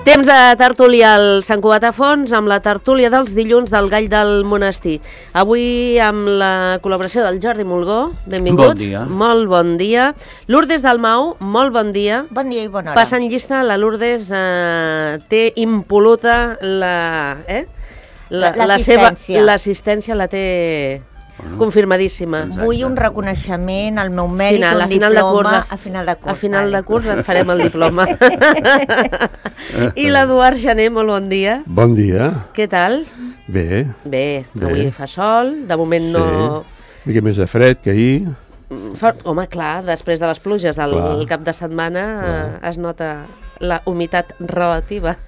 Temps de tertúlia al Sant Cugat a Fons amb la tertúlia dels dilluns del Gall del Monestir. Avui amb la col·laboració del Jordi Mulgó, benvingut. Bon dia. Molt bon dia. Lourdes Dalmau, molt bon dia. Bon dia i bona hora. Passant llista, la Lourdes té impol·luta l'assistència la té confirmadíssima. Vull un reconeixement al meu mèrit, un diploma a final de curs. A final de curs et farem el diploma. I l'Eduard Gené, molt bon dia. Bon dia. Què tal? Bé. Bé, avui fa sol, de moment no... Una mica més de fred que ahir. Home, clar, després de les pluges del cap de setmana es nota la humitat relativa.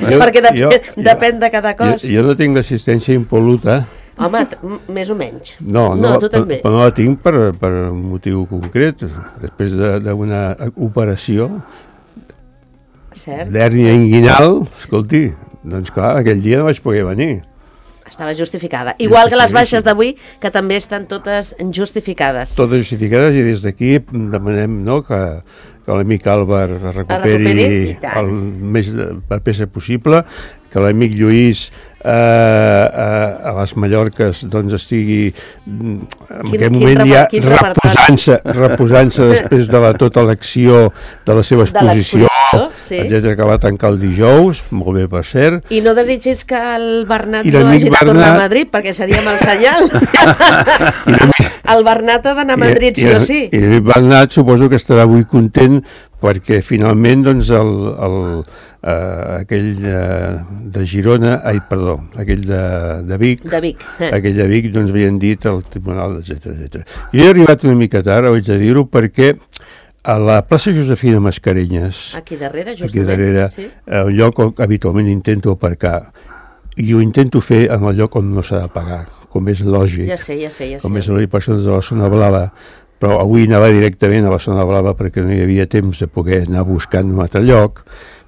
Perquè depèn de cada cos. Jo no tinc l'assistència impol·luta. Home, més o menys. No, tu també. Però no la tinc per un motiu concret. Després d'una operació d'hèrnia inguinal, escolti, doncs clar, aquell dia no vaig poder venir. Estava justificada. Igual que les baixes d'avui, que també estan totes justificades. Totes justificades, i des d'aquí demanem que l'amic Àlvar es recuperi el més per peça possible, que l'amic Lluís a les Mallorques doncs estigui en aquest moment ja reposant-se després de tota l'acció de la seva exposició, etcètera, que va tancar el dijous, molt bé per cert. I no desitgis que el Bernat no hagi de tornar a Madrid, perquè seria mal senyal. El Bernat ha d'anar a Madrid, sí o sí. I el Bernat suposo que estarà avui content perquè finalment doncs aquell de Girona, aquell de Vic, aquell de Vic doncs havien dit al tribunal, etcètera. Jo he arribat una mica tard, haig de dir-ho, perquè a la plaça Josefina Mascarenyes, aquí darrere, un lloc on habitualment intento aparcar, i ho intento fer en el lloc on no s'ha de pagar, com és lògic. Ja sé. Com és lògic, persones de la zona blava, però avui anava directament a la zona blava perquè no hi havia temps de poder anar buscant un altre lloc.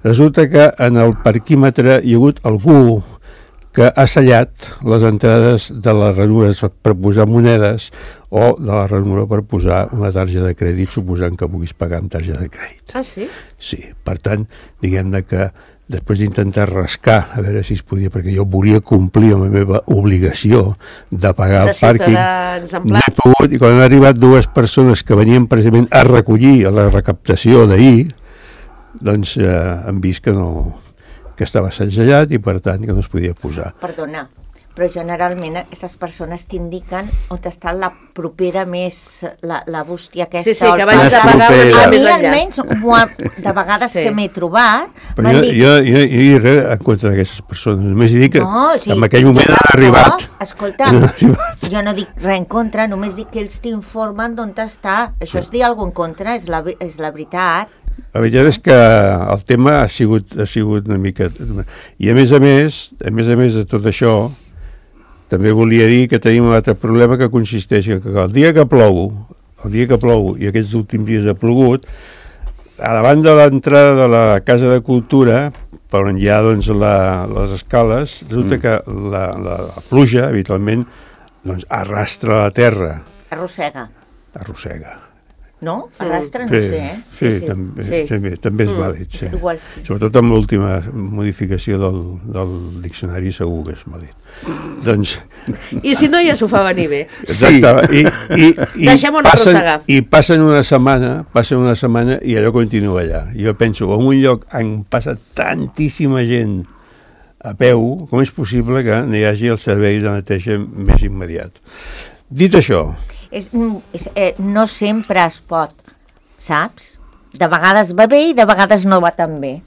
Resulta que en el parquímetre hi ha hagut algú que ha sellat les entrades de les ranures per posar monedes o de la ranura per posar una targeta de crèdit, suposant que puguis pagar amb targeta de crèdit. Ah, sí? Sí, per tant, diguem-ne que després d'intentar rascar, a veure si es podia, perquè jo volia complir amb la meva obligació de pagar el pàrquing, no he pogut, i quan han arribat dues persones que venien precisament a recollir la recaptació d'ahir, doncs han vist que estava segellat i per tant que no es podia posar. Perdona, però generalment aquestes persones t'indiquen on està la propera més, la bústia aquesta. Sí, que vaig a pagar a mi almenys, de vegades que m'he trobat... Però jo he dit res en contra d'aquestes persones, només dic que en aquell moment han arribat. Escolta, jo no dic res en contra, només dic que ells t'informen d'on està. Això és dir alguna cosa en contra, és la veritat. La veritat és que el tema ha sigut una mica... I a més de tot això, també volia dir que tenim un altre problema que consisteix que el dia que plou, i aquests últims dies ha plogut, a davant de l'entrada de la Casa de Cultura, per on hi ha doncs, les escales, resulta que la pluja, habitualment, doncs, arrastra la terra. Arrossega. No? Arrastra, no sé, Sí, també és vàlid. Igual sí. Sobretot amb l'última modificació del diccionari segur que és vàlid. Doncs... I si no, ja s'ho fa venir bé. Exacte. Deixem-ho arrossegar. I passen una setmana i allò continua allà. Jo penso, en un lloc on passa tantíssima gent a peu, com és possible que no hi hagi el servei de neteja més immediat? Dit això... no sempre es pot, saps? De vegades va bé i de vegades no va tan bé.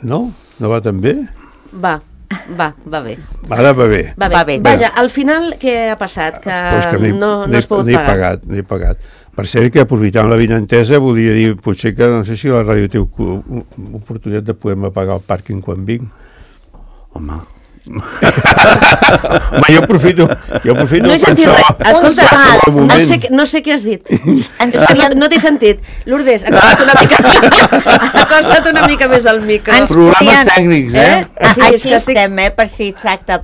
No? No va tan bé? Va bé. Ara va bé. Va bé. Vaja, al final què ha passat? Que no es pot pagar. No he pagat. Per cert que aprofitant la vinentesa volia dir, potser que no sé si la ràdio té oportunitat de poder pagar el pàrquing quan vinc. Home, jo aprofito no he sentit res. Escolta, no sé què has dit. No t'he sentit. Lourdes, acosta't una mica més al micro. Problemes tècnics, Així estem, per si exacte.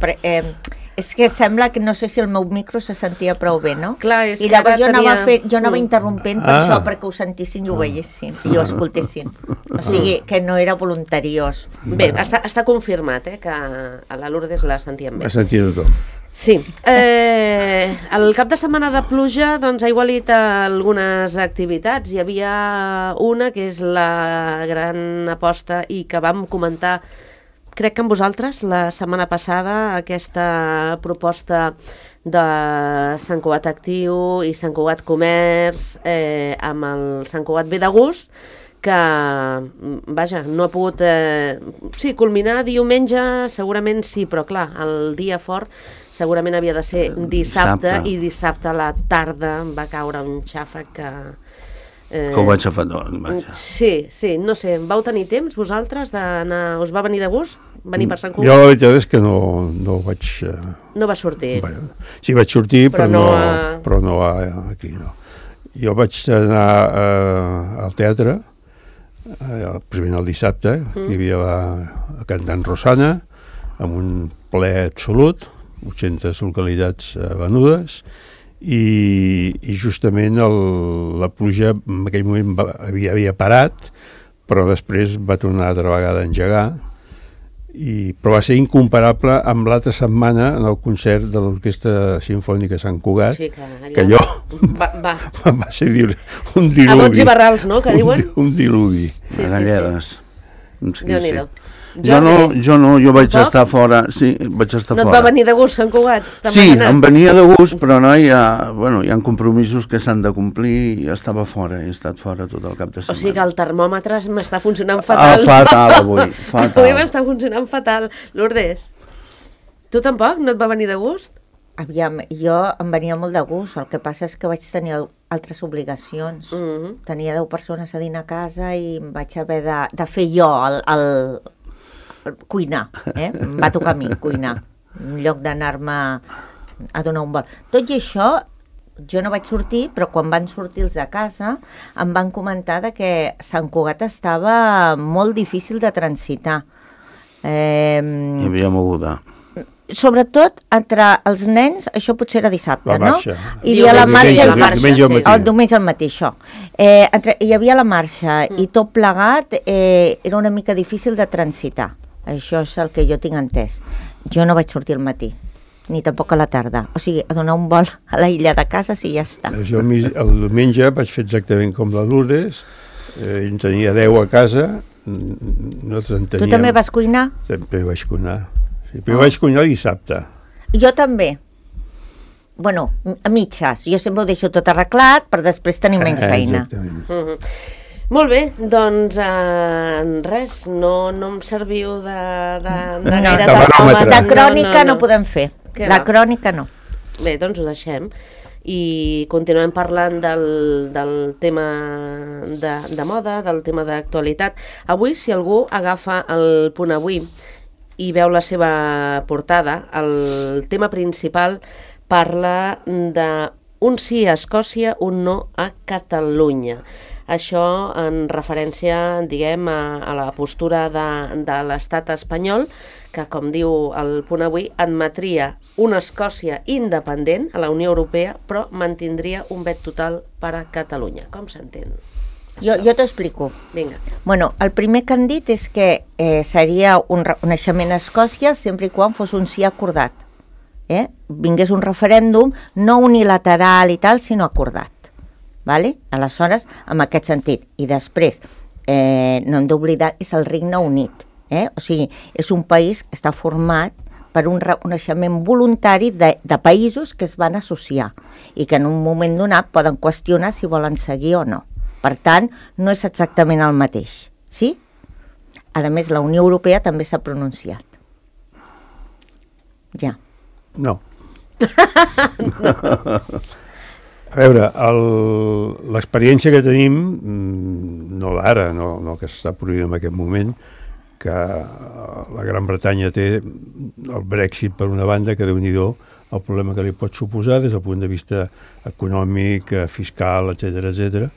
És que sembla que no sé si el meu micro se sentia prou bé, no? Clar, és I que llavors ara jo anava interrompent per això, perquè ho sentissin i ho veiessin, i ho escoltessin. O sigui, que no era voluntariós. Bé, està confirmat, que a la Lourdes la sentíem bé. Va sentir tothom. Sí. El cap de setmana de pluja doncs, ha igualit algunes activitats. Hi havia una que és la gran aposta i que vam comentar, crec que amb vosaltres, la setmana passada, aquesta proposta de Sant Cugat Actiu i Sant Cugat Comerç amb el Sant Cugat Ve de Gust, que, vaja, no ha pogut culminar diumenge, segurament sí, però clar, el dia fort segurament havia de ser dissabte, i dissabte a la tarda va caure un xàfec que... Que ho vaig agafar, Sí, no sé, vau tenir temps vosaltres d'anar... Us va venir de gust? Venir per Sant Cugat? Jo la veritat és que no vaig... No va sortir? Sí, vaig sortir, però no aquí, no. Jo vaig anar al teatre, primer el dissabte, hi havia la cantant Rosana, amb un ple absolut, 800 localitats venudes, i justament la pluja en aquell moment havia parat, però després va tornar altra vegada a engegar, però va ser incomparable amb l'altra setmana en el concert de l'Orquestra Simfònica Sant Cugat, que allò va ser un diluvi. A bots i barrals, no?, que diuen? Un diluvi. A galledes. Déu-n'hi-do. Jo vaig estar fora. Sí, vaig estar fora. No et va venir de gust Sant Cugat? Sí, em venia de gust, però no, hi ha compromisos que s'han de complir i estava fora, he estat fora tot el cap de setmana. O sigui que el termòmetre m'està funcionant fatal. Fatal avui, fatal. Avui m'està funcionant fatal. Lourdes, tu tampoc no et va venir de gust? Aviam, jo em venia molt de gust, el que passa és que vaig tenir altres obligacions. Tenia 10 persones a dinar a casa i em vaig haver de fer jo el cuinar, em va tocar a mi cuinar, en lloc d'anar-me a donar un vol. Tot i això, jo no vaig sortir, però quan van sortir els de casa em van comentar que Sant Cugat estava molt difícil de transitar. Hi havia moguda. Sobretot entre els nens, això potser era dissabte, no? Hi havia la marxa, el diumenge al matí, això. Hi havia la marxa i tot plegat era una mica difícil de transitar. Això és el que jo tinc entès. Jo no vaig sortir al matí, ni tampoc a la tarda. O sigui, a donar un vol a la illa de casa i ja està. Jo el diumenge vaig fer exactament com la Lourdes, ell tenia 10 a casa, nosaltres en teníem... Tu també vas cuinar? També vaig cuinar. Sí, però vaig cuinar dissabte. Jo també. Bueno, a mitges. Jo sempre ho deixo tot arreglat per després tenir menys feina. Exactament. Molt bé, doncs res, no em serviu de gaire termòmetre. De crònica no podem fer. La crònica no. Bé, doncs ho deixem. I continuem parlant del tema de moda, del tema d'actualitat. Avui, si algú agafa el Punt Avui i veu la seva portada, el tema principal parla d'un sí a Escòcia, un no a Catalunya. Això en referència, diguem, a la postura de l'estat espanyol, que, com diu el Punt Avui, admetria una Escòcia independent a la Unió Europea, però mantindria un vet total per a Catalunya. Com s'entén? Jo t'ho explico. Vinga. Bueno, el primer que han dit és que seria un reconeixement a Escòcia sempre i quan fos un sí acordat. Vingués un referèndum no unilateral i tal, sinó acordat. Vale? Aleshores, en aquest sentit. I després, no hem d'oblidar, és el Regne Unit. O sigui, és un país que està format per un reconeixement voluntari de països que es van associar i que en un moment donat poden qüestionar si volen seguir o no. Per tant, no és exactament el mateix. Sí? A més, la Unió Europea també s'ha pronunciat. Ja. No. A veure, l'experiència que tenim, no d'ara, no que s'està produint en aquest moment, que la Gran Bretanya té el Brexit per una banda, que Déu-n'hi-do el problema que li pot suposar des del punt de vista econòmic, fiscal, etc.,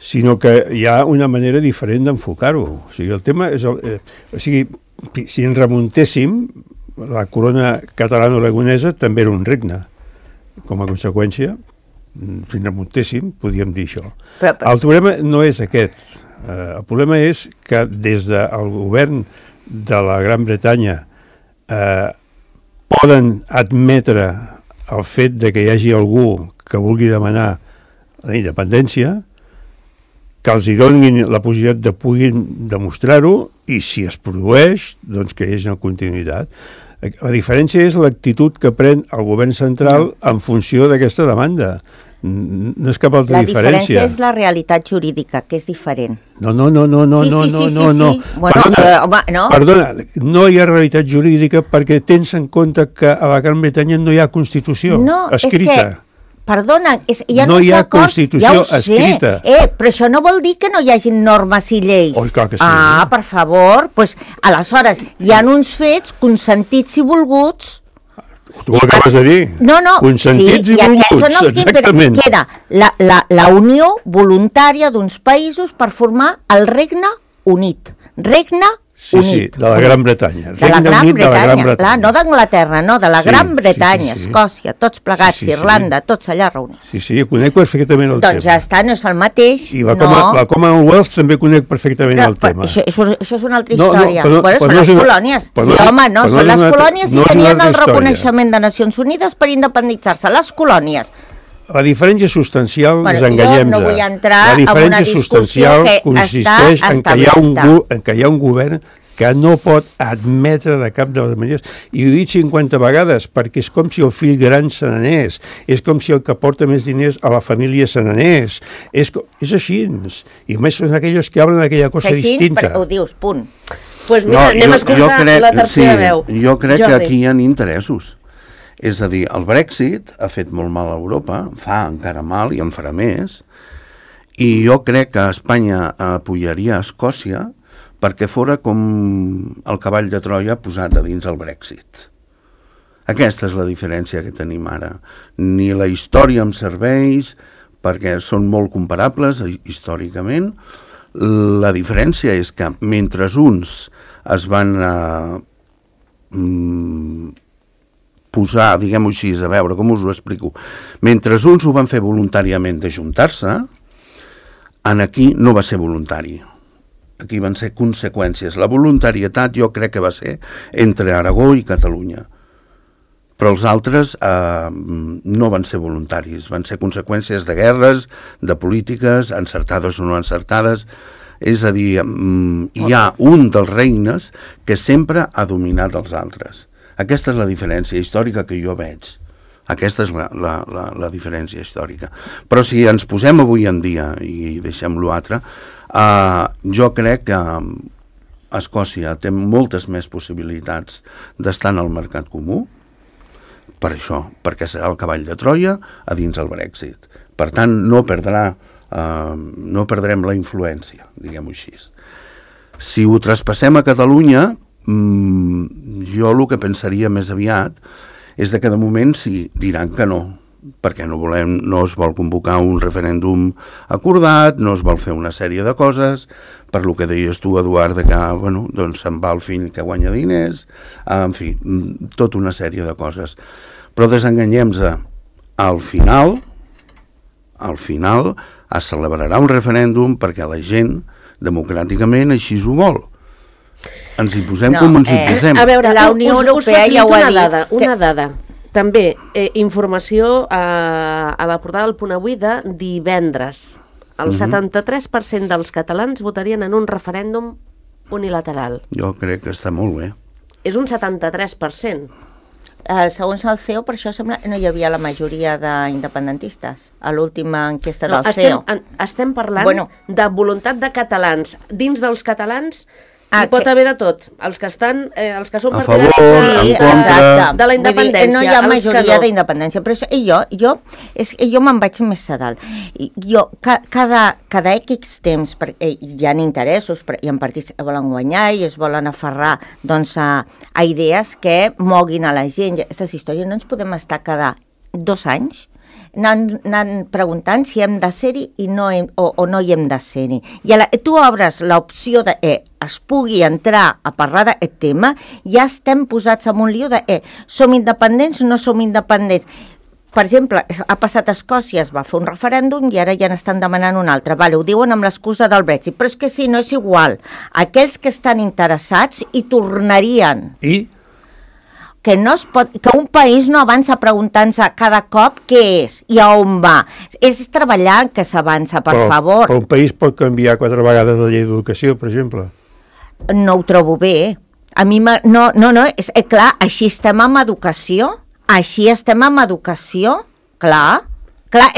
sinó que hi ha una manera diferent d'enfocar-ho. O sigui, el tema és... si ens remuntéssim la corona catalano-aragonesa també era un regne. Com a conseqüència, si ens remuntéssim, podríem dir això. El problema no és aquest. El problema és que des del govern de la Gran Bretanya poden admetre el fet de que hi hagi algú que vulgui demanar la independència, que els hi donin la possibilitat de puguin demostrar-ho i si es produeix, doncs que hi hagi una continuïtat. La diferència és l'actitud que pren el govern central en funció d'aquesta demanda. No és cap altra diferència. La diferència és la realitat jurídica, que és diferent. No. Sí. Perdona, no hi ha realitat jurídica perquè tens en compte que a la Gran Bretanya no hi ha Constitució escrita. Perdona, no hi ha Constitució escrita. Però això no vol dir que no hi hagi normes i lleis. Oh, clar que sí. Per favor, doncs, aleshores, hi ha uns fets consentits i volguts. Tu ho acabes de dir. No, consentits i volguts, exactament. Queda la unió voluntària d'uns països per formar el Regne Unit. Regne Unit. Sí, de la Gran Bretanya. De la Gran Bretanya, clar, no d'Anglaterra, no, de la Gran Bretanya, Escòcia, tots plegats, Irlanda, tots allà reunits. Sí, conec perfectament el tema. Doncs ja està, no és el mateix. I la Commonwealth també conec perfectament el tema. Això és una altra història. Són les colònies. Són les colònies i tenien el reconeixement de Nacions Unides per independitzar-se. Les colònies. La diferència substancial, ens enganyem-nos. Jo no vull entrar en una discussió que consisteix en que hi ha un govern que no pot admetre de cap de les maneres, i ho he dit 50 vegades, perquè és com si el fill gran se n'anés, és com si el que porta més diners a la família se n'anés, és així, i més són aquells que hablen aquella cosa distinta. Ho dius, punt. Doncs mira, anem a escoltar la tercera veu. Jo crec que aquí hi ha interessos. És a dir, el Brexit ha fet molt mal a Europa, fa encara mal i en farà més, i jo crec que Espanya apoyaria a Escòcia perquè fora com el cavall de Troia posat a dins el Brexit. Aquesta és la diferència que tenim ara. Ni la història em serveix, perquè són molt comparables històricament. La diferència és que mentre uns es van posar, diguem-ho així, a veure, com us ho explico? Mentre uns ho van fer voluntàriament d'ajuntar-se, aquí no va ser voluntari. Aquí van ser conseqüències. La voluntarietat jo crec que va ser entre Aragó i Catalunya. Però els altres no van ser voluntaris, van ser conseqüències de guerres, de polítiques, encertades o no encertades. És a dir, hi ha un dels regnes que sempre ha dominat els altres. Aquesta és la diferència històrica que jo veig. Aquesta és la diferència històrica. Però si ens posem avui en dia, i deixem l'altre, jo crec que Escòcia té moltes més possibilitats d'estar en el mercat comú, per això, perquè serà el cavall de Troia a dins el Brexit. Per tant, no perdrem la influència, diguem-ho així. Si ho traspassem a Catalunya, jo el que pensaria més aviat és que de moment sí, diran que no, perquè no es vol convocar un referèndum acordat, no es vol fer una sèrie de coses, per lo que deies tu, Eduard, que doncs se'n va el fill que guanya diners, en fi, tota una sèrie de coses. Però desenganyem-se, al final es celebrarà un referèndum perquè la gent, democràticament, així ho vol. Ens hi posem com ens hi posem. A veure, la Unió Europea ja ho ha dit. Una dada. També, informació a la portada del Punt Avui de divendres. El 73% dels catalans votarien en un referèndum unilateral. Jo crec que està molt bé. És un 73%. Segons el CEO, per això sembla que no hi havia la majoria d'independentistes a l'última enquesta del CEO. Estem parlant de voluntat de catalans. Dins dels catalans hi pot haver de tot. Els que són partidaris de la independència. No hi ha majoria d'independència. Però jo me'n vaig més a dalt. Cada X temps hi ha interessos, hi ha partits que volen guanyar i es volen aferrar a idees que moguin a la gent. Aquestes històries no ens podem estar cada 2 anys anant preguntant si hem de ser-hi i no o no hi hem de ser-hi. I tu obres l'opció de es pugui entrar a parlar d'aquest tema, ja estem posats en un lío de som independents o no som independents. Per exemple, ha passat a Escòcia, es va fer un referèndum i ara ja n'estan demanant un altre. Vale, ho diuen amb l'excusa del Brexit, però és que si no és igual. Aquells que estan interessats hi tornarien. I? Que un país no avança preguntant-se cada cop què és i a on va. És treballant que s'avança, per favor. Però un país pot canviar 4 vegades la llei d'educació, per exemple? No ho trobo bé. A mi és clar, així estem amb educació. Així estem amb educació, clar,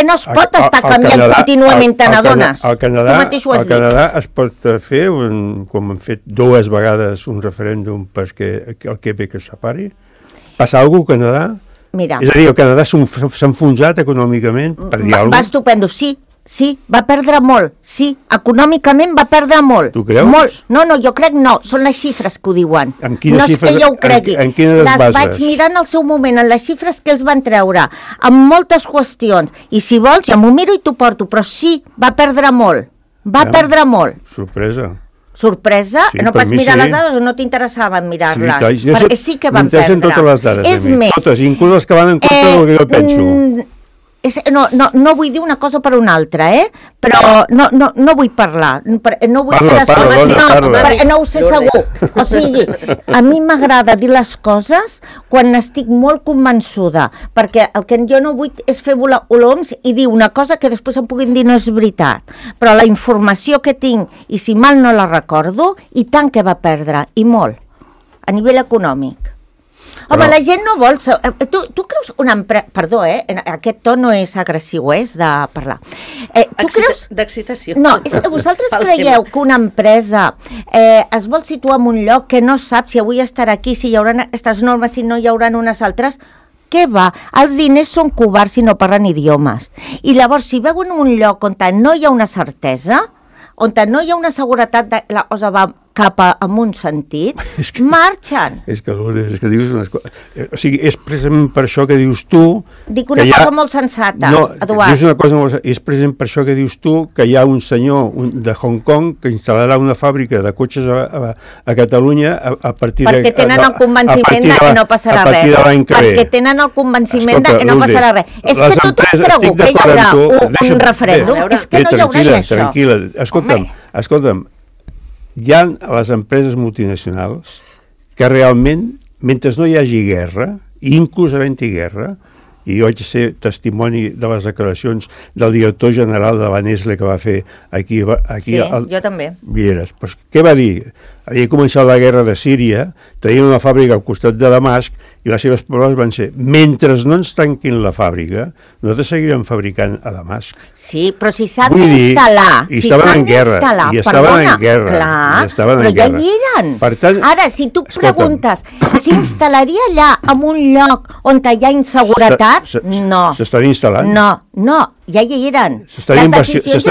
no es pot estar canviant contínuament, te n'adones. Al Canadà es pot fer, com han fet 2 vegades un referèndum perquè el Quebec es separi? Passa alguna cosa al Canadà? Mira. És a dir, el Canadà s'ha enfonsat econòmicament, per dir alguna cosa? Va estupendo, sí, va perdre molt, sí, econòmicament va perdre molt. Tu creus? Molt. No, jo crec no, són les xifres que ho diuen. En quines xifres? No és que jo ho cregui. En quines les bases? Vaig mirar en el seu moment, en les xifres que els van treure, amb moltes qüestions, i si vols ja m'ho miro i t'ho porto, però sí, va perdre molt, perdre molt. Sorpresa. Sorpresa? Sí, no pas mirar les dades o no t'interessava mirar-les? Sí, perquè sí que van perdre. M'interessen totes les dades, és més, totes, inclús les que van en contra del que jo penso. No vull dir una cosa per una altra, però no vull parlar. No vull dir les coses, no ho sé segur. O sigui, a mi m'agrada dir les coses quan estic molt convençuda, perquè el que jo no vull és fer volar coloms i dir una cosa que després em puguin dir no és veritat. Però la informació que tinc, i si mal no la recordo, i tant que va perdre, i molt, a nivell econòmic. Home, la gent no vol... Tu creus una empresa... Perdó, aquest to no és agressiu, és de parlar. Tu creus... D'excitació. No, vosaltres creieu que una empresa es vol situar en un lloc que no sap si avui estarà aquí, si hi haurà aquestes normes, si no hi haurà unes altres... Què va? Els diners són covards i no parlen idiomes. I llavors, si veuen un lloc on no hi ha una certesa, on no hi ha una seguretat de la cosa va cap en un sentit, marxen. És que dius unes coses... O sigui, és precisament per això que dius tu... Dic una cosa molt sensata, Eduard. Dius una cosa molt sensata. És precisament per això que dius tu que hi ha un senyor de Hong Kong que instal·larà una fàbrica de cotxes a Catalunya a partir de... Perquè tenen el convenciment de que no passarà res. Perquè tenen el convenciment de que no passarà res. És que tu t'has cregut que hi haurà un referèndum. És que no hi haurà això. Tranquil·la. Escolta'm, hi ha les empreses multinacionals que realment, mentre no hi hagi guerra, inclús havent-hi guerra, i jo vaig ser testimoni de les declaracions del director general de la Nestlé que va fer aquí sí, jo també. Vieres. Pues, què va dir? Havia començat la guerra de Síria, tenien una fàbrica al costat de Damasc i les seves paraules van ser: mentre no ens tanquin la fàbrica, nosaltres seguirem fabricant a Damasc. Sí, però si s'han d'instal·lar... I estaven en guerra. I estaven en guerra. Clar, però ja hi eren. Per tant, ara, si tu preguntes, s'instal·laria allà en un lloc on hi ha inseguretat? No. S'estan instal·lant? No, ja hi eren. S'estan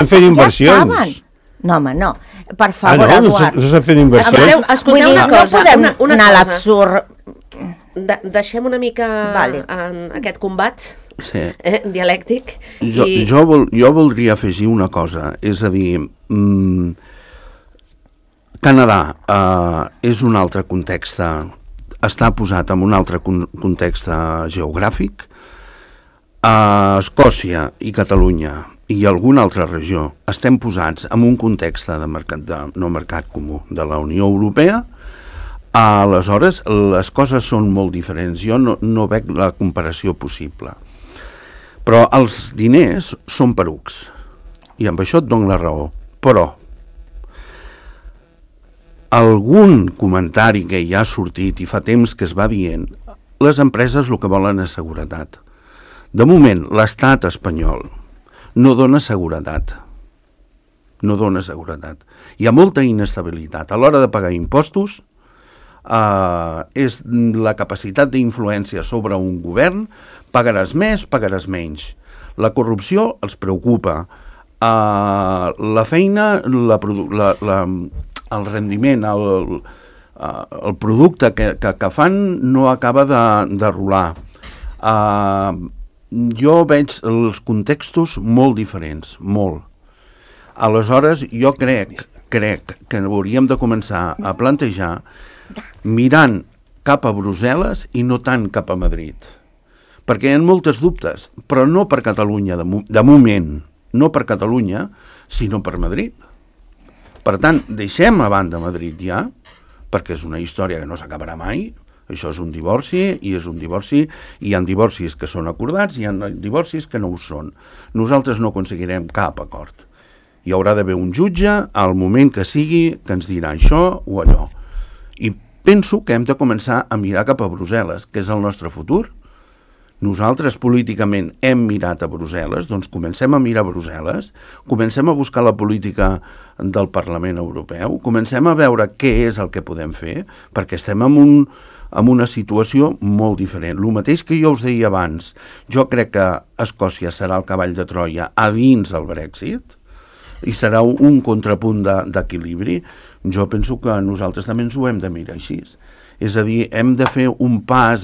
fent inversions. No, home, no. Per favor, Eduard. No s'estan fent inversions? Escolteu una cosa. No podem anar a l'absurd. Deixem una mica en aquest combat dialèctic. Jo voldria afegir una cosa, és a dir, Canadà és un altre context, està posat en un altre context geogràfic. Escòcia i Catalunya i alguna altra regió estem posats en un context de mercat comú de la Unió Europea. Aleshores, les coses són molt diferents. Jo no veig la comparació possible. Però els diners són perucs. I amb això et dono la raó. Però algun comentari que ja ha sortit i fa temps que es va dient, les empreses el que volen és seguretat. De moment, l'estat espanyol no dona seguretat. No dona seguretat. Hi ha molta inestabilitat. A l'hora de pagar impostos, és la capacitat d'influència sobre un govern, pagaràs més, pagaràs menys. La corrupció els preocupa. La feina, el rendiment, el producte que fan no acaba de rolar. jo veig els contextos molt diferents, molt. Aleshores, jo crec que hauríem de començar a plantejar mirant cap a Brussel·les i no tant cap a Madrid. Perquè hi ha moltes dubtes, però no per Catalunya, de moment, no per Catalunya, sinó per Madrid. Per tant, deixem a banda Madrid ja, perquè és una història que no s'acabarà mai. Això és un divorci, i és un divorci, i hi ha divorcis que són acordats, i hi ha divorcis que no ho són. Nosaltres no aconseguirem cap acord. Hi haurà d'haver un jutge, al moment que sigui, que ens dirà això o allò. I penso que hem de començar a mirar cap a Brussel·les, que és el nostre futur. Nosaltres políticament hem mirat a Brussel·les, doncs comencem a mirar a Brussel·les, comencem a buscar la política del Parlament Europeu, comencem a veure què és el que podem fer, perquè estem en una situació molt diferent. El mateix que jo us deia abans, jo crec que Escòcia serà el cavall de Troia a dins el Brexit, i serà un contrapunt d'equilibri. Jo penso que nosaltres també ens ho hem de mirar així. És a dir, hem de fer un pas,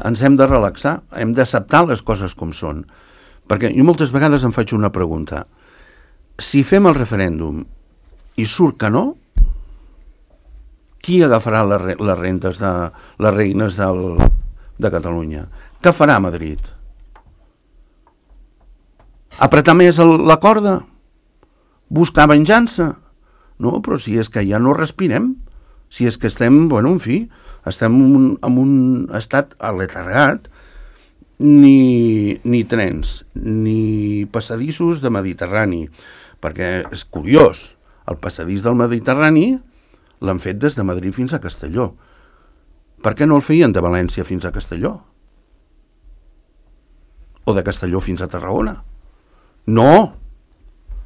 ens hem de relaxar, hem d'acceptar les coses com són. Perquè jo moltes vegades em faig una pregunta. Si fem el referèndum i surt que no, qui agafarà les rentes de les reines de Catalunya? Què farà Madrid? Apretar més la corda? Buscar venjança? No, però si és que ja no respirem, si és que estem, en fi, estem en un estat aletargat, ni trens, ni passadissos de Mediterrani, perquè és curiós, el passadís del Mediterrani l'han fet des de Madrid fins a Castelló. Per què no el feien de València fins a Castelló? O de Castelló fins a Tarragona? No!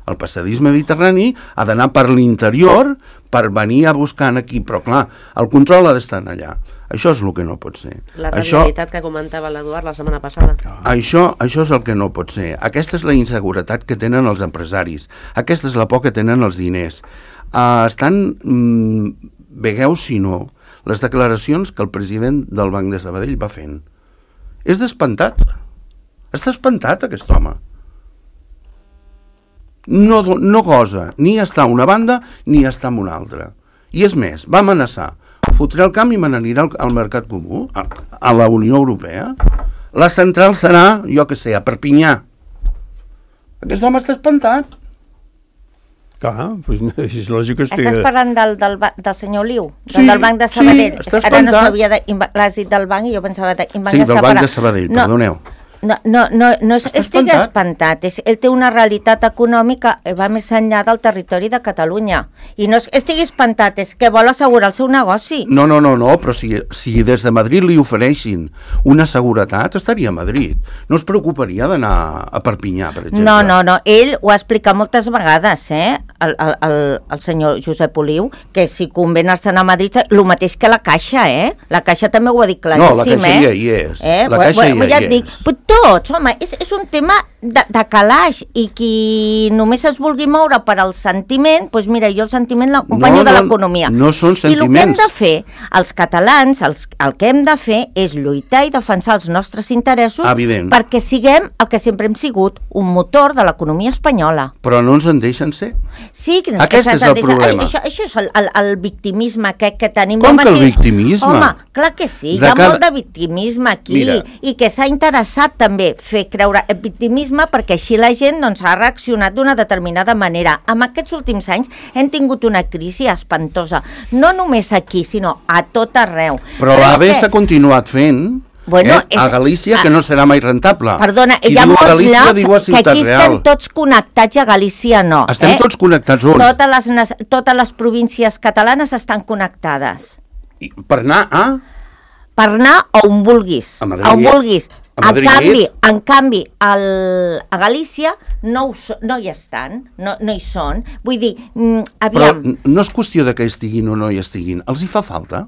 El passadís mediterrani ha d'anar per l'interior per venir a buscar aquí, però clar, el control ha d'estar allà. Això és el que no pot ser. La realitat que comentava l'Eduard la setmana passada. Això és el que no pot ser. Aquesta és la inseguretat que tenen els empresaris. Aquesta és la por que tenen els diners. Vegeu, si no, les declaracions que el president del Banc de Sabadell va fent. És d'espantat. Està espantat, aquest home. No gosa ni estar a una banda ni estar en una altra. I és més, va amenaçar: fotré el camp i me n'anirà al mercat comú, a la Unió Europea. La central serà, jo què sé, a Perpinyà. Aquest home està espantat. Clar, doncs és lògic que Estàs parlant del senyor Liu, del Banc de Sabadell. Sí, està Ara no espantat. sabia, l'has dit del banc i jo pensava del Banc Sí, de Sabadell. del Banc de Sabadell, perdoneu. No estigui espantat. Ell té una realitat econòmica que va més enllà del territori de Catalunya. I no estigui espantat, és que vol assegurar el seu negoci. No, però si des de Madrid li ofereixin una seguretat, estaria a Madrid. No es preocuparia d'anar a Perpinyà, per exemple. No. Ell ho ha explicat moltes vegades, el senyor Josep Oliu, que si convé anar-se'n a Madrid, el mateix que la Caixa, La Caixa també ho ha dit claríssim, No, la Caixa ja hi és. La Caixa ja hi és. Tots, home, és un tema de calaix, i qui només es vulgui moure per al sentiment, doncs mira, jo el sentiment l'acompanyo de l'economia. No són sentiments. I el que hem de fer, els catalans, el que hem de fer és lluitar i defensar els nostres interessos. Evident. Perquè siguem el que sempre hem sigut, un motor de l'economia espanyola. Però no ens en deixen ser. Sí, aquest és el problema. Això és el victimisme que tenim. Com que el victimisme? Home, clar que sí, hi ha molt de victimisme aquí. Mira. I que s'ha interessat també fer creure el victimisme perquè així la gent ha reaccionat d'una determinada manera. En aquests últims anys hem tingut una crisi espantosa, no només aquí, sinó a tot arreu. Però l'AVE s'ha continuat fent. A Galícia, que no serà mai rentable. Perdona, hi ha molts llocs que aquí estem tots connectats, a Galícia no. Estem tots connectats on? Totes les províncies catalanes estan connectades. Per anar a? Per anar on vulguis. A Madrid. On vulguis. En canvi, a Galícia no hi estan, no hi són. Vull dir, aviam... Però no és qüestió de que estiguin o no hi estiguin. Els hi fa falta?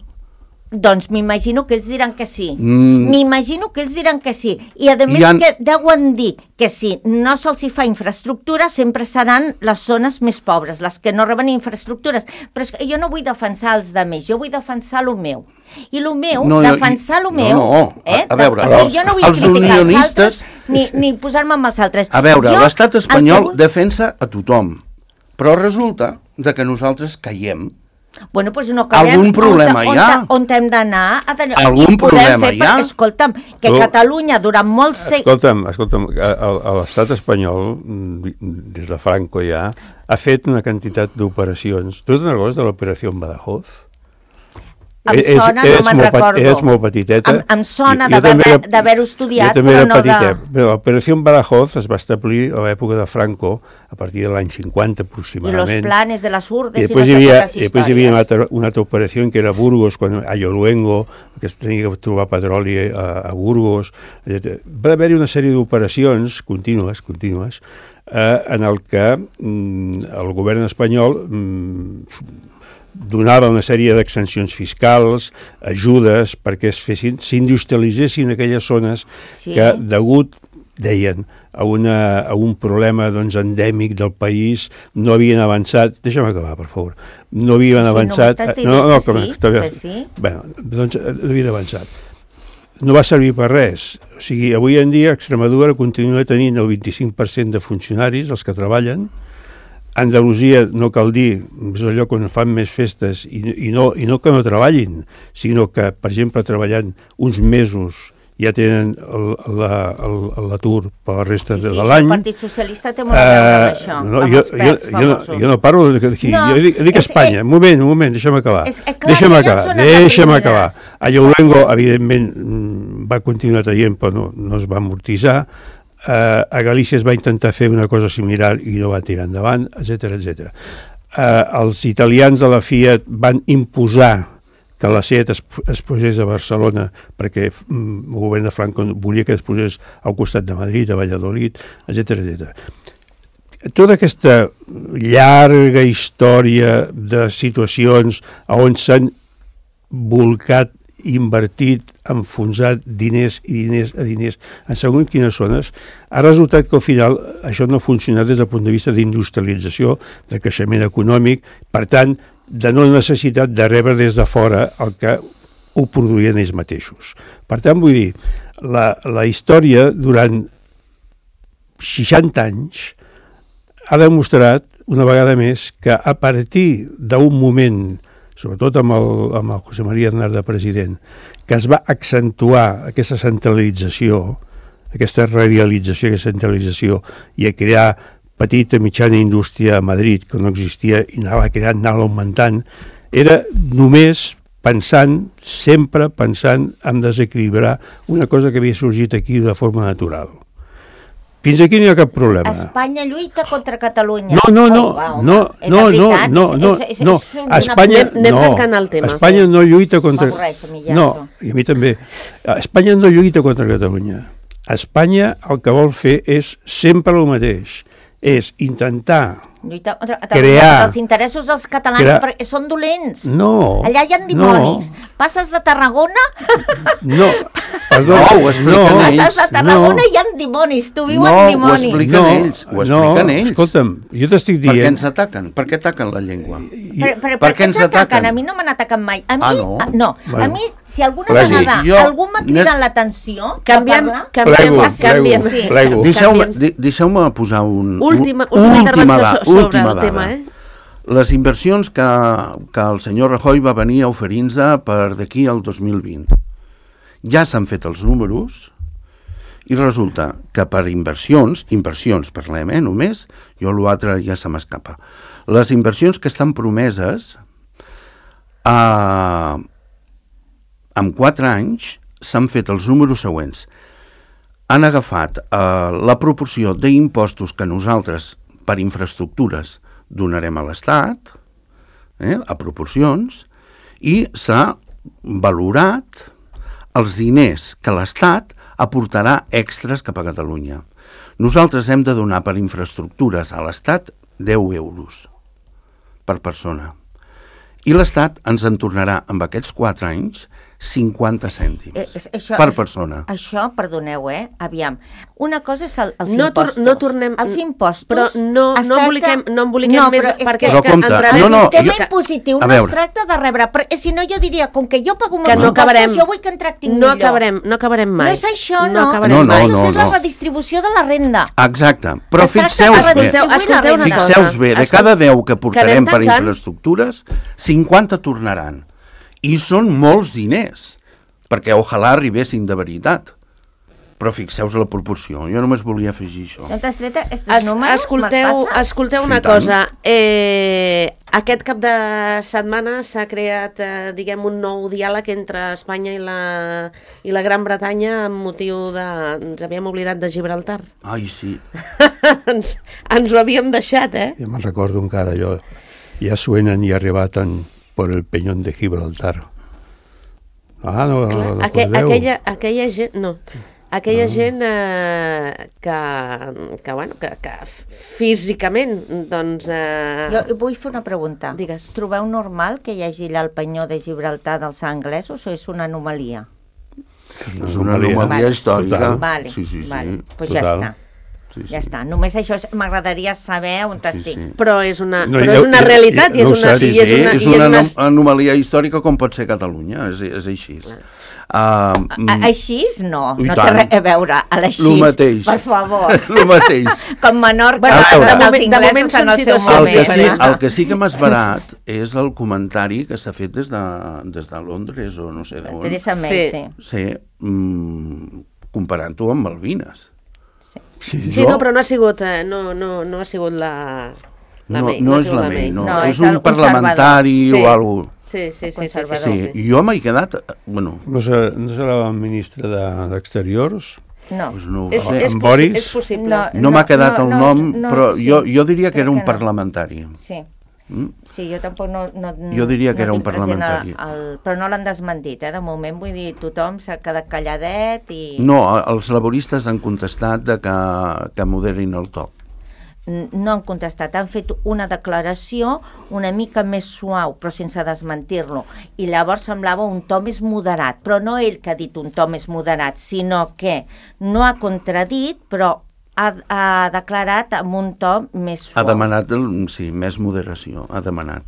Doncs m'imagino que ells diran que sí. M'imagino que ells diran que sí. I a més que deuen dir que si no se'ls hi fa infraestructura, sempre seran les zones més pobres, les que no reben infraestructures. Però és que jo no vull defensar els altres, jo vull defensar el meu. I el meu, defensar el meu... A veure, jo no vull criticar els altres ni posar-me amb els altres. A veure, l'estat espanyol defensa a tothom, però resulta que nosaltres caiem. Bueno, doncs no acabem. Algun problema hi ha? On hem d'anar? Algun problema hi ha? Escolta'm, que Catalunya durant molts segles... Escolta'm, l'estat espanyol, des de Franco ja, ha fet una quantitat d'operacions. Tu te'n recordes de l'operació en Badajoz? Em sona, no me'n recordo. Eres molt petiteta. Em sona d'haver-ho estudiat, però no de... L'operació en Badajoz es va establir a l'època de Franco, a partir de l'any 50 aproximadament. I los planes de las urdes i després hi havia una altra operació que era Burgos, a Yoluengo, que es tenia que trobar petroli a Burgos. Va haver-hi una sèrie d'operacions contínues, en el que el govern espanyol donava una sèrie d'exencions fiscals, ajudes, perquè s'industrialitzessin aquelles zones que, degut, deien, a un problema endèmic del país, no havien avançat... Deixa'm acabar, per favor. No havien avançat... No, doncs no havien avançat. No va servir per res. O sigui, avui en dia Extremadura continua tenint el 25% de funcionaris, els que treballen. Andalusia, no cal dir, és el lloc on fan més festes i no que no treballin, sinó que, per exemple, treballant uns mesos ja tenen l'atur per la resta de l'any. El Partit Socialista té molt a veure amb això, amb els pèls famosos. Jo no parlo d'aquí, jo dic Espanya. Un moment, deixa'm acabar. Deixa'm acabar. A Yoluengo, evidentment, va continuar traient, però no es va amortitzar. A Galícia es va intentar fer una cosa similar i no va tirar endavant, etc. Els italians de la Fiat van imposar que la Seat es posés a Barcelona perquè el govern de Franco volia que es posés al costat de Madrid, a Valladolid, etc. Tota aquesta llarga història de situacions on s'han volcat, invertit, enfonsat diners en segons quines zones, ha resultat que al final això no ha funcionat des del punt de vista d'industrialització, de creixement econòmic, per tant, de no necessitat de rebre des de fora el que ho produïen ells mateixos. Per tant, vull dir, la història durant 60 anys ha demostrat una vegada més que a partir d'un moment, sobretot amb el José María Aznar de president, que es va accentuar aquesta centralització, aquesta radialització, aquesta centralització, i a crear petita, mitjana indústria a Madrid, que no existia, i anava creant, anava augmentant, era només sempre pensant en desequilibrar una cosa que havia sorgit aquí de forma natural. Fins aquí no hi ha cap problema. Espanya lluita contra Catalunya. No. Espanya no lluita contra... No, i a mi també. Espanya no lluita contra Catalunya. Espanya el que vol fer és sempre el mateix. És intentar crear... Els interessos dels catalans perquè són dolents. No. Allà hi ha dimonis. Passes de Tarragona... No, ho expliquen ells. Passes de Tarragona i hi ha dimonis. Tu vius amb dimonis. Ho expliquen ells. Escolta'm, jo t'estic dient... Per què ens ataquen? Per què ataquen la llengua? Per què ens ataquen? A mi no m'han atacat mai. A mi, no. A mi, si alguna vegada algú m'ha cridat l'atenció... Canviem. Deixeu-me posar última intervenció sobre el tema, Les inversions que el senyor Rajoy va venir a oferir-nos per d'aquí al 2020. Ja s'han fet els números i resulta que per inversions parlem, només, jo l'altre ja se m'escapa. Les inversions que estan promeses en 4 anys s'han fet els números següents. Han agafat la proporció d'impostos que nosaltres per infraestructures donarem a l'Estat, a proporcions, i s'ha valorat els diners que l'Estat aportarà extras cap a Catalunya. Nosaltres hem de donar per infraestructures a l'Estat 10 euros per persona. I l'Estat ens en tornarà, amb aquests 4 anys, 50 cèntims per persona. Això, perdoneu, aviam. Una cosa és els No impostos. no tornem... Els impostos... Però no emboliquem més... Perquè Però compte, el no, sistema impositiu no es tracta de rebre... Si no, jo diria, com que jo pago molts impostos, jo vull que en tractin millor. No acabarem mai. No és això, no. No. És la redistribució de la renda. Exacte. Però fixeu-vos bé, fixeu-vos bé, de cada 10 que portarem per infraestructures, 50 tornaran. I són molts diners, perquè ojalà arribessin de veritat. Però fixeu-vos la proporció. Jo només volia afegir això. Escolteu una cosa. Aquest cap de setmana s'ha creat, diguem, un nou diàleg entre Espanya i la Gran Bretanya amb motiu de... Ens havíem oblidat de Gibraltar. Ai, sí. Ens ho havíem deixat, Ja me'n recordo encara, jo. Ja suenen i arribaten por el peñón de Gibraltar. Aquella gent... No. Aquella gent que físicament, doncs... Jo vull fer una pregunta. Digues. Trobeu normal que hi hagi el penyó de Gibraltar dels anglesos o és una anomalia? És una anomalia històrica. Vale, sí. Pues ja està. Ja està, només això m'agradaria saber on estic. Però és una realitat i és una anomalia històrica com pot ser Catalunya, és així. Així no té res a veure, a l'així, per favor. El mateix. Com Menorca, de moment són situacions. El que sí que m'ha esverat és el comentari que s'ha fet des de Londres o no sé d'on. Teresa May, sí. Comparant-ho amb Malvines. Sí, no, però no ha sigut la May. No és la May, no. És un parlamentari o alguna cosa. Sí. Jo m'he quedat... No serà la ministra d'Exteriors? No. En Boris? És possible. No m'ha quedat el nom, però jo diria que era un parlamentari. Sí, jo tampoc no jo diria que era un parlamentari. Però no l'han desmentit, de moment, vull dir, tothom s'ha quedat calladet i... No, els laboristes han contestat que moderin el to. No han contestat, han fet una declaració una mica més suau, però sense desmentir-lo, i llavors semblava un to més moderat, però no ell que ha dit un to més moderat, sinó que no ha contradit, però ha declarat amb un to més suau. Ha demanat, sí, més moderació, ha demanat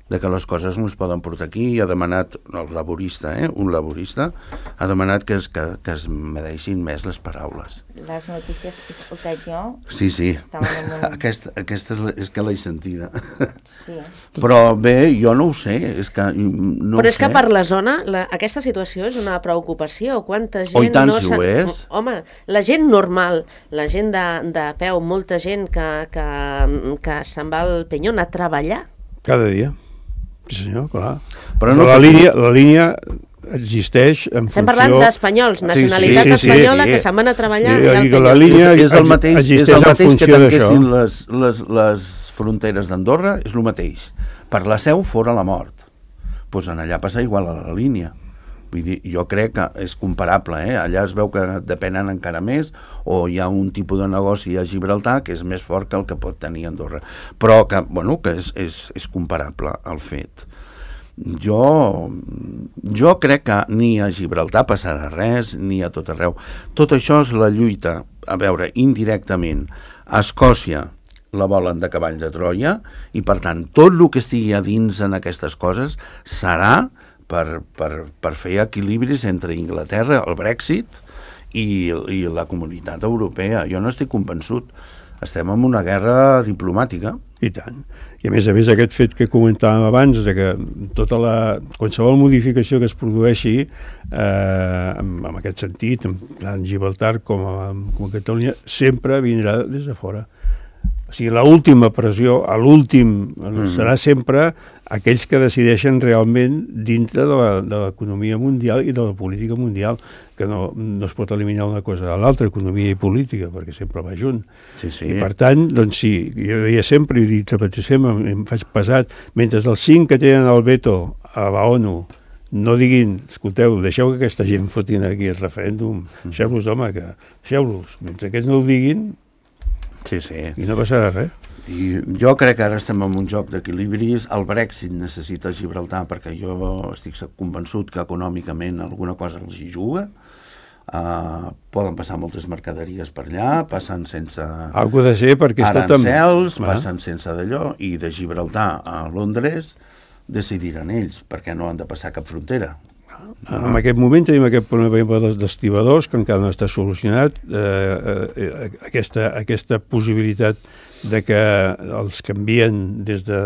de que les coses no es poden portar aquí, i ha demanat, el laborista, un laborista, ha demanat que es medeixin més les paraules. Les notícies que he escoltat jo... Sí, aquesta és que l'he sentida. Sí. Però bé, jo no ho sé, és que no Però és que per la zona, aquesta situació és una preocupació. Quanta gent... Oh, i tant, si ho és. Home, la gent normal, la gent de peu, molta gent que se'n va al Penyón a treballar. Cada dia. Sí, senyor, clar. Però no, la línia existeix en funció... Estem parlant d'espanyols, nacionalitat espanyola, que se'n van a treballar i al la línia és el mateix que tanquessin d'això. les fronteres d'Andorra, és el mateix. Per la Seu, fora la mort. Doncs en allà passa igual a la línia. Vull dir, jo crec que és comparable, allà es veu que depenen encara més, o hi ha un tipus de negoci a Gibraltar que és més fort que el que pot tenir Andorra. Però que és comparable al fet. Jo crec que ni a Gibraltar passarà res, ni a tot arreu. Tot això és la lluita, a veure, indirectament. A Escòcia la volen de cavall de Troia, i per tant, tot el que estigui a dins en aquestes coses serà per fer equilibris entre Inglaterra, el Brexit, i la comunitat europea. Jo no estic convençut. Estem en una guerra diplomàtica. I tant. I a més, aquest fet que comentàvem abans, de que qualsevol modificació que es produeixi en aquest sentit, tant en Gibraltar com a Catalunya, sempre vindrà des de fora. O sigui, l'última pressió, a l'últim, serà sempre aquells que decideixen realment dintre de l'economia mundial i de la política mundial, que no es pot eliminar una cosa de l'altra, economia i política, perquè sempre va junt. Sí. I per tant, doncs sí, jo deia sempre, i repeteixo sempre, em faig pesat, mentre els 5 que tenen el veto a la ONU no diguin, escolteu, deixeu que aquesta gent fotin aquí el referèndum, deixeu-los, home, deixeu-los. Mentre aquests no ho diguin, sí. I no passarà res. I jo crec que ara estem en un joc d'equilibris. El Brexit necessita Gibraltar perquè jo estic convençut que econòmicament alguna cosa els hi juga. Poden passar moltes mercaderies per allà, passen sense Algo de ser perquè arancels, passen sense d'allò, i de Gibraltar a Londres decidiran ells, perquè no han de passar cap frontera. En aquest moment tenim aquest problema dels estibadors que encara no està solucionat, aquesta possibilitat de que els que envien des de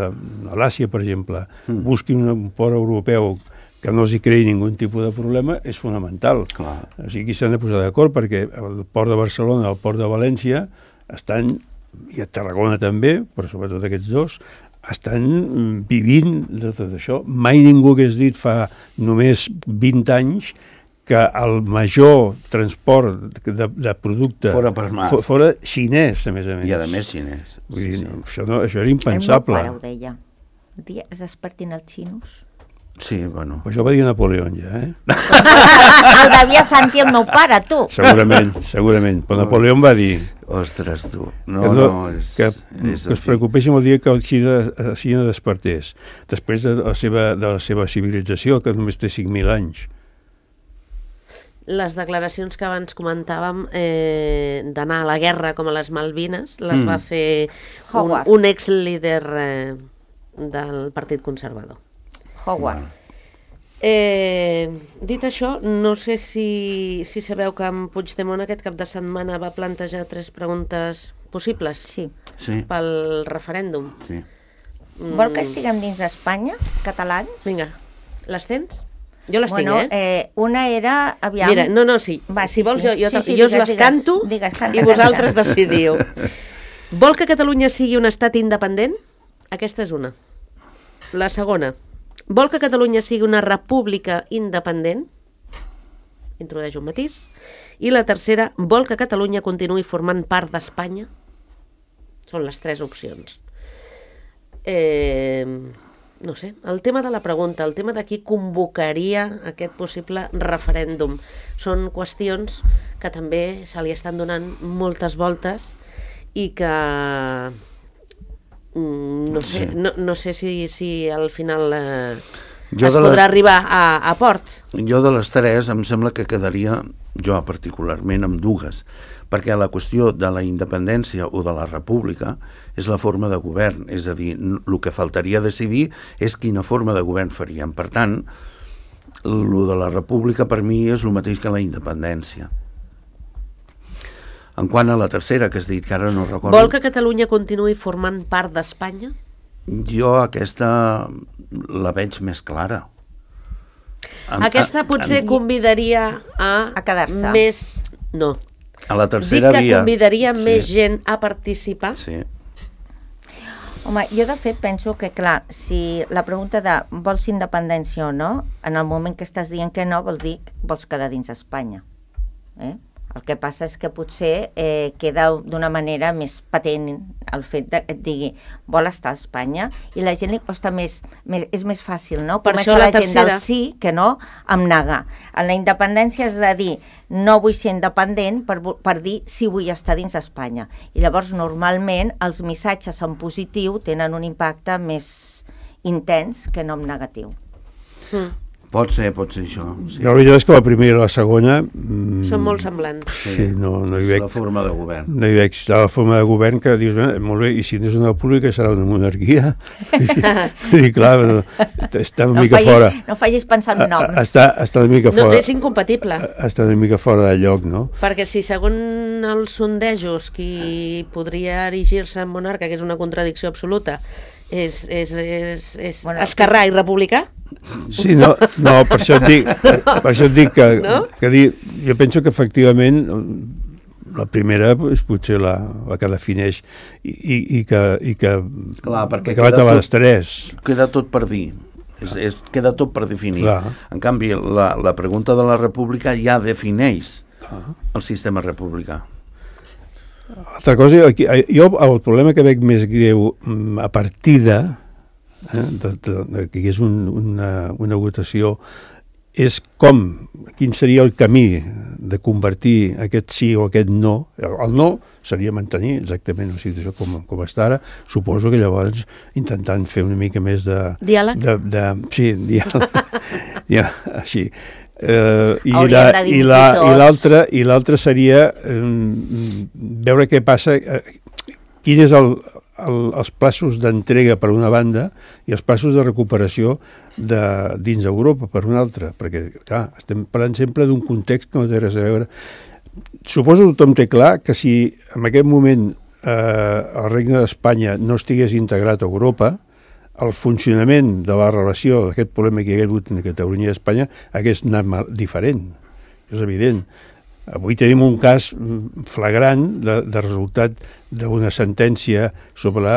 l'Àsia, per exemple, busquin un port europeu que no els hi creï ningú tipus de problema, és fonamental. Clar. O sigui, s'han de posar d'acord perquè el port de Barcelona i el port de València estan, i a Tarragona també, però sobretot aquests dos, estan vivint de tot això. Mai ningú hagués dit fa només 20 anys que el major transport de producte fora per mar. Fora xinès, a més. I a més xinès. Vull dir, això era impensable. El meu pare ho deia. Un dia es despertin els xinos. Sí, bueno. Però això ho va dir Napoleó, ja, El devia sentir el meu pare, tu. Segurament. Però Napoleó em va dir... Ostres, tu. Que es preocupéssim el dia que el Xina despertés. Després de la seva civilització, que només té 5.000 anys. Les declaracions que abans comentàvem d'anar a la guerra com a les Malvines les va fer un ex-líder del Partit Conservador. Howard. Dit això, no sé si sabeu que en Puigdemont aquest cap de setmana va plantejar 3 preguntes possibles pel referèndum. Sí. Vol que estiguem dins d'Espanya, catalans? Vinga, les tens? Jo les tinc, Una era... Aviam. Mira, sí. Si vols, jo us les canto i vosaltres decidiu. Vol que Catalunya sigui un estat independent? Aquesta és una. La segona. Vol que Catalunya sigui una república independent? Introdueix un matís. I la tercera, vol que Catalunya continuï formant part d'Espanya? Són les 3 opcions. No sé, el tema de la pregunta, el tema de qui convocaria aquest possible referèndum, són qüestions que també se li estan donant moltes voltes i que no sé si al final es podrà arribar a port. Jo de les 3 em sembla que quedaria, jo particularment, amb 2, perquè la qüestió de la independència o de la república és la forma de govern, és a dir, el que faltaria decidir és quina forma de govern faríem. Per tant, el de la república per mi és el mateix que la independència. En quant a la tercera, que has dit, que ara no recordo... Vol que Catalunya continuï formant part d'Espanya? Jo aquesta la veig més clara. Aquesta potser convidaria a quedar-se. Més... No. A la tercera via. Dic que convidaria més gent a participar. Sí. Home, jo de fet penso que, clar, si la pregunta de vols independència o no, en el moment que estàs dient que no, vol dir que vols quedar dins d'Espanya. El que passa és que potser queda d'una manera més patent el fet de que et digui vol estar a Espanya, i la gent li costa és més fàcil, no? Per això la tercera... gent del sí que no amb negar. En la independència has de dir no vull ser independent per dir sí vull estar dins d'Espanya. I llavors normalment els missatges en positiu tenen un impacte més intens que no en negatiu. Pot ser això. Sí. La veritat és que la primera i la segona... Són molt semblants. Sí, no hi veig... La forma de govern. No hi veig la forma de govern que dius, molt bé, i si no és una república serà una monarquia? I clar, està una mica fora. No facis pensar en noms. Està una mica fora. No, és incompatible. Està una mica fora de lloc, no? Perquè si segons els sondejos qui podria erigir-se en monarca, que és una contradicció absoluta, és esquerrà i republicà? Sí, no, per això et dic que jo penso que efectivament la primera és potser la que defineix i que va a les 3. Queda tot per dir. Queda tot per definir. Clar. En canvi, la pregunta de la república ja defineix el sistema republicà. Altra cosa, jo el problema que veig més greu a partir de que hi és una votació és quin seria el camí de convertir aquest sí o aquest no. El no seria mantenir exactament la situació com està ara. Suposo que llavors intentant fer una mica més de... Diàleg? Sí, diàleg. Ja, així. I l'altre seria veure què passa, quin és els plaços d'entrega per una banda i els plaços de recuperació dins Europa per una altra, perquè clar, estem parlant sempre d'un context que no té res a veure. Suposo que tothom té clar que si en aquest moment el Regne d'Espanya no estigués integrat a Europa, el funcionament de la relació d'aquest problema que hi ha hagut entre Catalunya i Espanya hagués anat diferent, és evident. Avui tenim un cas flagrant de resultat d'una sentència sobre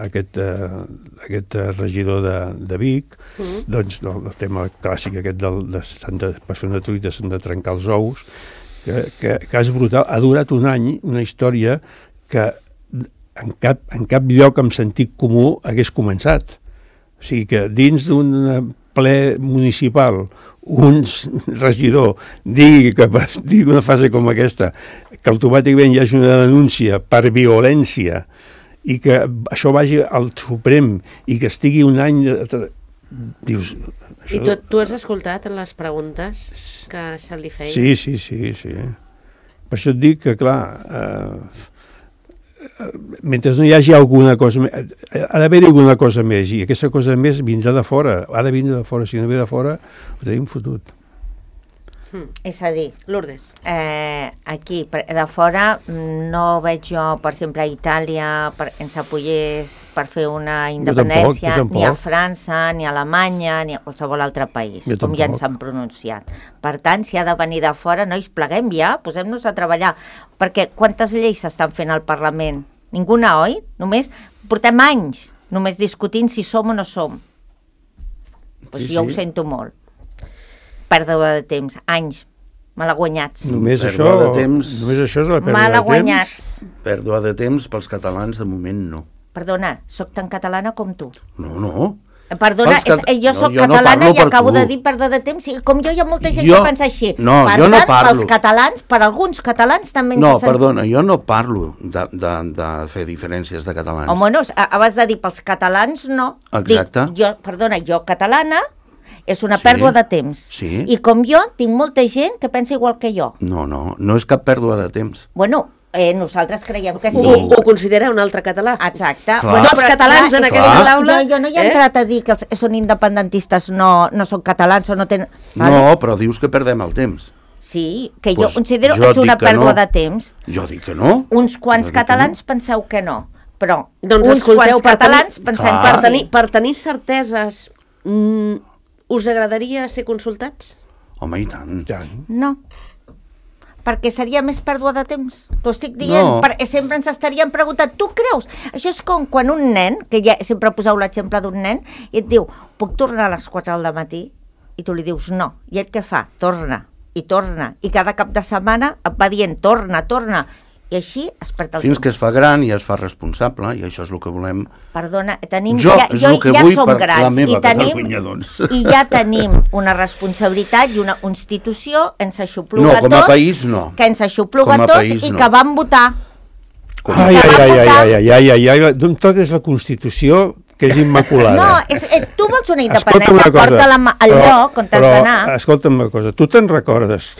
aquest regidor de Vic, doncs el tema clàssic aquest per fer una truita s'han de trencar els ous, que és brutal. Ha durat un any, una història que en cap lloc amb sentit comú hagués començat. O sigui que dins d'un ple municipal un regidor digui una frase com aquesta, que automàticament hi hagi una denúncia per violència i que això vagi al Suprem i que estigui un any... Dius... I tu has escoltat les preguntes que se li feien? Sí. Per això et dic que, clar... mentre no hi hagi alguna cosa més, ha d'haver alguna cosa més, i aquesta cosa més vindrà de fora, ha de vindre de fora, si no ve de fora ho tenim fotut. És a dir, Lourdes, aquí de fora no veig jo, per exemple, a Itàlia ens apoyés per fer una independència, jo tampoc. Ni a França, ni a Alemanya, ni a qualsevol altre país, com ja ens han pronunciat. Per tant, si ha de venir de fora, nois, pleguem ja, posem-nos a treballar, perquè quantes lleis s'estan fent al Parlament? Ninguna, oi? Només portem anys només discutint si som o no som. Pues jo ho sento molt. Pèrdua de temps, anys, malaguanyats. Només això és la pèrdua malaguanyats. de temps? Pèrdua de temps pels catalans de moment no. Perdona, sóc tan catalana com tu. No. Perdona, jo sóc catalana i acabo de dir pèrdua de temps. Com jo hi ha molta gent que pensa així. No, jo no parlo. Pels catalans, per alguns catalans també ens No, perdona, jo no parlo de fer diferències de catalans. Home, no, abans de dir pels catalans, no. Exacte. Dic, jo catalana, és una pèrdua de temps. Sí. I com jo, tinc molta gent que pensa igual que jo. No és cap pèrdua de temps. Bueno, nosaltres creiem que sí. Ho considera un altre català. Exacte. Clar. Tots catalans en aquesta taula... Jo no hi he entrat a dir que són independentistes, no són catalans o no tenen... No, però dius que perdem el temps. Sí, que jo considero que és una pèrdua de temps. Jo dic que no. Uns quants catalans penseu que no, però doncs uns quants catalans pensem que sí. Per tenir certeses... us agradaria ser consultats? Home, i tant. No, perquè seria més pèrdua de temps. T'ho estic dient, perquè sempre ens estaríem preguntant, tu creus? Això és com quan un nen, que ja sempre poseu l'exemple d'un nen, i et diu, puc tornar a les 4 del matí? I tu li dius no. I ell què fa? Torna, i cada cap de setmana et va dient torna, i així es perd el temps. Fins que es fa gran i es fa responsable, i això és el que volem. Perdona, ja som grans i ja tenim una responsabilitat i una institució que ens aixopluga com a país no. Que ens aixopluga tots i que vam votar. D'on toques la Constitució que és immaculada. No, tu vols una independència, porta-la al lloc on t'has d'anar. Escolta'm una cosa, tu te'n recordes,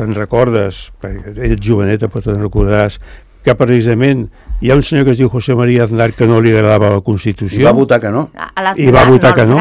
perquè ets joveneta però te'n recordaràs, que precisament hi ha un senyor que es diu José María Aznar que no li agradava la Constitució. I va votar que no. I va votar que no.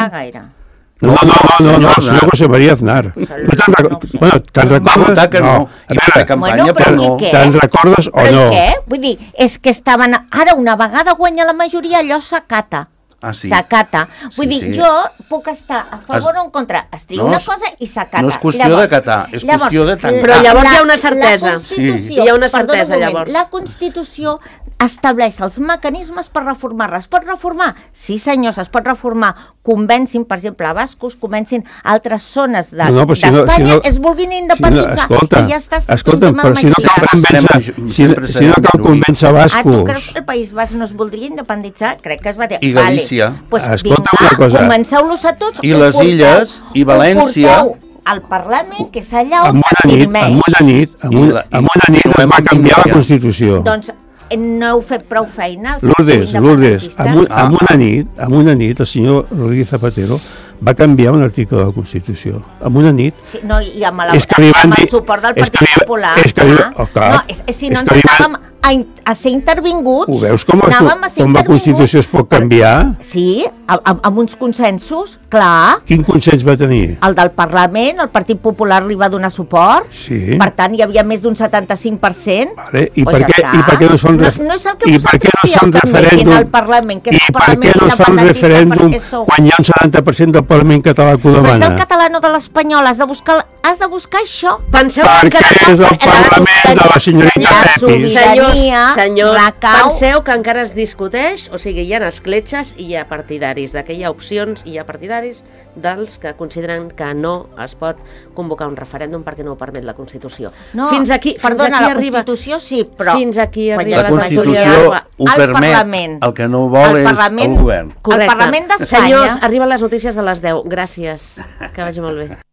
No, el senyor José María Aznar. Te'n recordes? Va votar que no. I va fer campanya, però no. Te'n recordes o no? Què? Vull dir, és que estaven... Ara, una vegada guanya la majoria, allò s'acata. S'acata. Vull dir, jo puc estar a favor o en contra. Es diu una cosa i s'acata. No és qüestió d'acatar, és qüestió de tancar. Però llavors hi ha una certesa. Hi ha una certesa, llavors. La Constitució estableix els mecanismes per reformar-la. Es pot reformar? Sí, senyors, es pot reformar. Convencin, per exemple, a bascos, convencin altres zones d'Espanya, es vulguin independitzar. Escolta, però si no cal convèncer bascos. Tu creus que el País Basc no es voldria independitzar? Crec que es va dir... I Galícia. Escolta una cosa. Comenceu-los a tots. I les Illes, i València. Al Parlament, que és allà on es dirimeix. En una nit es va canviar la Constitució. Doncs no heu fet prou feina. Lourdes, en una nit el senyor Rodríguez Zapatero va canviar un article de la Constitució. En una nit. Sí, no, i amb el suport del Partit Popular. Si no ens anàvem a ser intervinguts. Ho veus com la Constitució es pot canviar? Sí, amb uns consensos, clar. Quin consens va tenir? El del Parlament, el Partit Popular li va donar suport. Sí. Per tant, hi havia més d'un 75%. Vale. I per què no es fa un referèndum? I per què no es fa un referèndum quan hi ha un 70% del Parlament català que ho demana? Però és del català, no de l'espanyol. Has de buscar això. Perquè és el Parlament de la senyorita Pepis. Senyors, penseu que encara es discuteix, o sigui, hi ha escletxes i hi ha partidaris, que hi ha opcions i hi ha partidaris dels que consideren que no es pot convocar un referèndum perquè no ho permet la Constitució. Fins aquí arriba. La Constitució sí, però... Fins aquí arriba la Constitució ho permet, el que no vol és el govern. El Parlament d'Espanya... Senyors, arriben les notícies de les 10. Gràcies, que vagi molt bé.